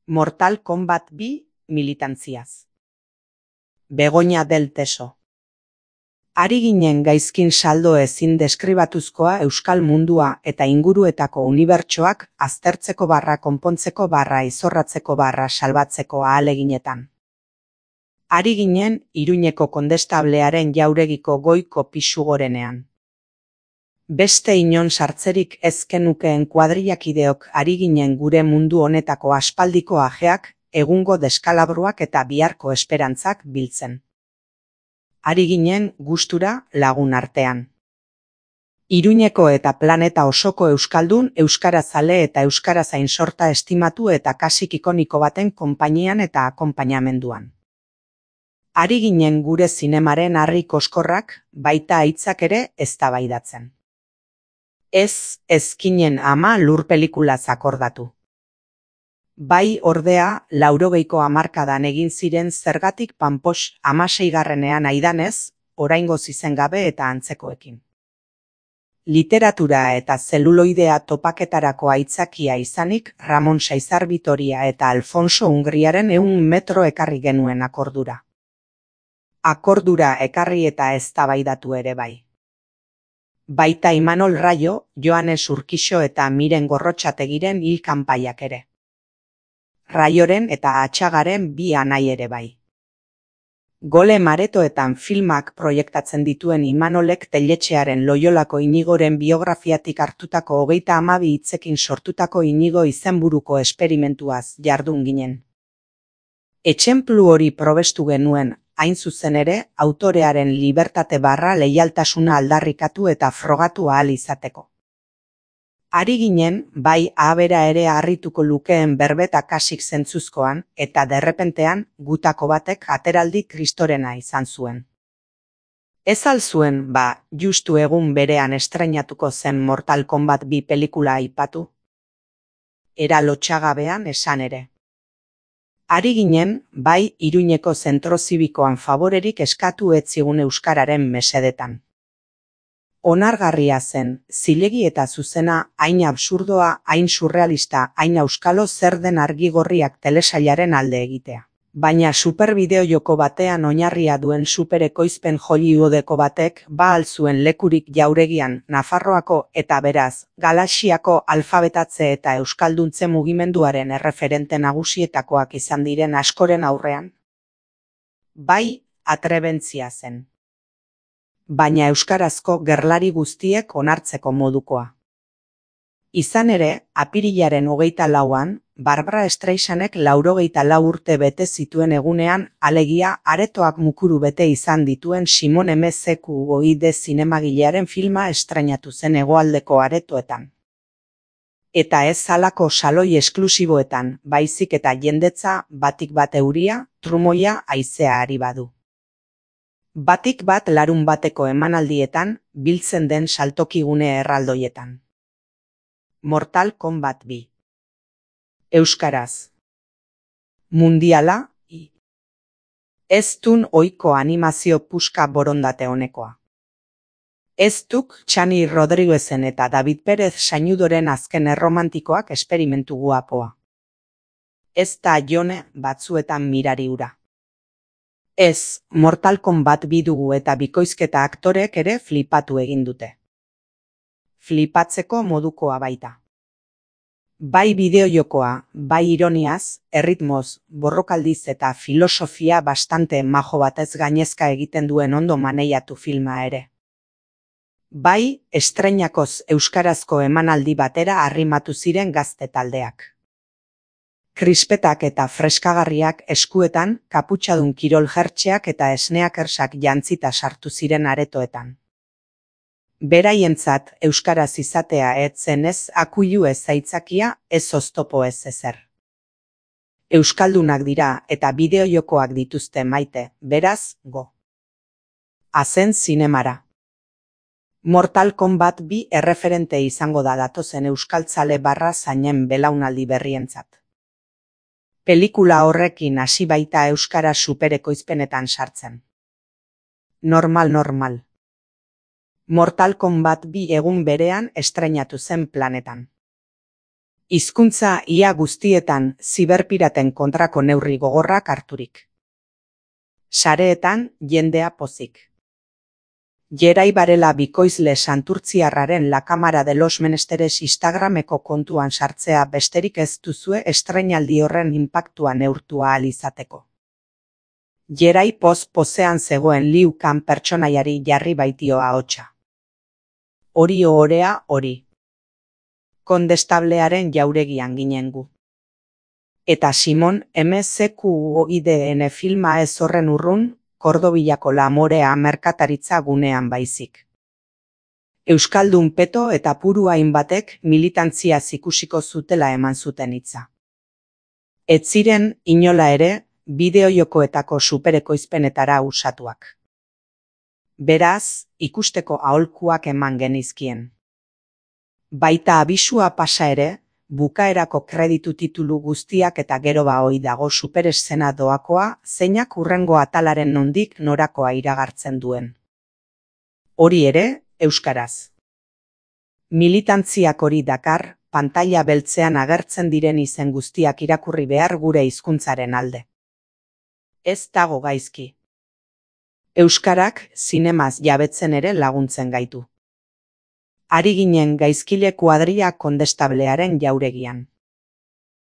Mortal Kombat 2 militantziaz. Begoña del Teso. Ari ginen gaizkin saldo ezin deskribatuzkoa euskal mundua eta inguruetako unibertsoak aztertzeko konpontzeko izorratzeko salbatzeko ahaleginetan. Ari ginen Iruñeko kondestablearen jauregiko goiko pisu gorenean. Beste inon sartzerik ez genukeen kuadrillakideok ari ginen gure mundu honetako aspaldiko ajeak, egungo deskalabruak eta biharko esperantzak biltzen. Ari ginen gustura lagun artean. Iruñeko eta planeta osoko euskaldun, euskarazale eta euskarazain sorta estimatu eta kasik ikoniko baten konpainian eta akonpainamenduan. Ari ginen gure zinemaren harri koskorrak, baita aitzak ere eztabaidatzen. Ez ezkinen ama lur pelikulaz akordatu. Bai ordea, 80ko hamarkadan egin ziren zergatik panpos 16garrenean aidanez, oraingoz izen gabe eta antzekoekin. Literatura eta zeluloidea topaketarako aitzakia izanik Ramon Saizar Vitoria eta Alfonso Hungriaren 100 metro ekarri genuen akordura. Akordura ekarri eta eztabaidatu ere bai. Baita Imanol Rayo, Joanes Urkixo eta Miren Gorrotxategiren hil kanpaiak ere. Raioren eta Atxagaren bi anai ere bai. Gole maretoetan filmak proiektatzen dituen Imanolek Telletxearen Loiolako Inigoren biografiatik hartutako 32 hitzekin sortutako Inigo izenburuko esperimentuaz jardun ginen. Etxenplu hori probestu genuen, hain zuzen ere, autorearen libertate leialtasuna aldarrikatu eta frogatu ahal izateko. Ari ginen, bai abera ere harrituko lukeen berbeta kasik zentzuzkoan, eta derrepentean, gutako batek ateraldi kristorena izan zuen. Ez al zuen, justu egun berean estreinatuko zen Mortal Kombat 2 pelikula aipatu? Era lotxagabean esan ere. Ari ginen, bai Iruñeko zentro zibikoan favorerik eskatu ez zigun euskararen mesedetan. Onargarria zen, zilegi eta zuzena, hain absurdoa, hain surrealista, hain euskalo zer den argigorriak telesailaren alde egitea. Baina superbideo joko batean oinarria duen superekoizpen Hollywoodeko batek al zuen lekurik jauregian Nafarroako eta beraz, Galaxiako alfabetatze eta euskalduntze mugimenduaren erreferente nagusietakoak izan diren askoren aurrean? Bai, atrebentzia zen. Baina euskarazko gerlari guztiek onartzeko modukoa. Izan ere, apirilaren 24an, Barbara Streisanek 84 urte bete zituen egunean, alegia aretoak mukuru bete izan dituen Simon M.Z.Q.I.D. zinemagilearen filma estrainatu zen hegoaldeko aretoetan. Eta ez halako saloi esklusiboetan, baizik eta jendetza batik bat euria, trumoia haizea ari badu. Batik bat larun bateko emanaldietan, biltzen den saltokigune erraldoietan. Mortal Kombat 2. Euskaraz. Mundiala, ez dun ohiko animazio puska borondate honekoa. Ez duk Txani Rodriguezen eta David Pérez Sainudoren azken erromantikoak esperimentu guapoa. Ez da jone batzuetan mirari ura. Ez, Mortal Kombat 2 dugu eta bikoizketa aktorek ere flipatu egin dute. Flipatzeko modukoa baita. Bai bideojokoa, bai ironiaz, erritmoz, borrokaldiz eta filosofia bastante majo batez gainezka egiten duen ondo maneiatu filma ere. Bai, estreinakoz euskarazko emanaldi batera arrimatu ziren gazte taldeak. Krispetak eta freskagarriak eskuetan, kaputxadun kirol jertxeak eta esneakersak jantzita sartu ziren aretoetan. Beraientzat euskaraz izatea etzen ez akuilu ez aitzakia, ez oztopo ez ezer. Euskaldunak dira eta bideojokoak dituzte maite, beraz, go. Azen zinemara. Mortal Kombat 2 erreferente izango da datozen euskaltzale zainen belaunaldi berrientzat. Pelikula horrekin hasi baita euskara superekoizpenetan sartzen. Normal. Mortal Kombat 2 egun berean estreinatu zen planetan. Hizkuntza ia guztietan ziberpiraten kontrako neurri gogorrak harturik. Sareetan jendea pozik. Gerai Barela bikoizle santurtziarraren La Cámara de los Menesteres Instagrameko kontuan sartzea besterik ez duzue estreinaldi horren inpaktua neurtu ahal izateko. Gerai poz-pozean zegoen Liu Kang pertsonaiari jarri baitio ahotsa. Hori ohorea hori. Kondestablearen jauregian ginen gu. Eta Simon MZQOIDN filma ez horren urrun, Kordobillako Lamorea merkataritza gunean baizik. Euskaldun peto eta puru hainbatek militantzia ikusiko zutela eman zuten hitza. Ez ziren, inola ere, bideojokoetako superekoizpenetara usatuak. Beraz, ikusteko aholkuak eman genizkien. Baita abisua pasa ere, bukaerako kreditu titulu guztiak eta gero hoi dago supereszena doakoa, zeinak hurrengo atalaren nondik norakoa iragartzen duen. Hori ere, euskaraz. Militantziak hori dakar, pantaila beltzean agertzen diren izen guztiak irakurri behar gure hizkuntzaren alde. Ez dago gaizki. Euskarak zinemaz jabetzen ere laguntzen gaitu. Ari ginen gaizkile kuadria kondestablearen jauregian.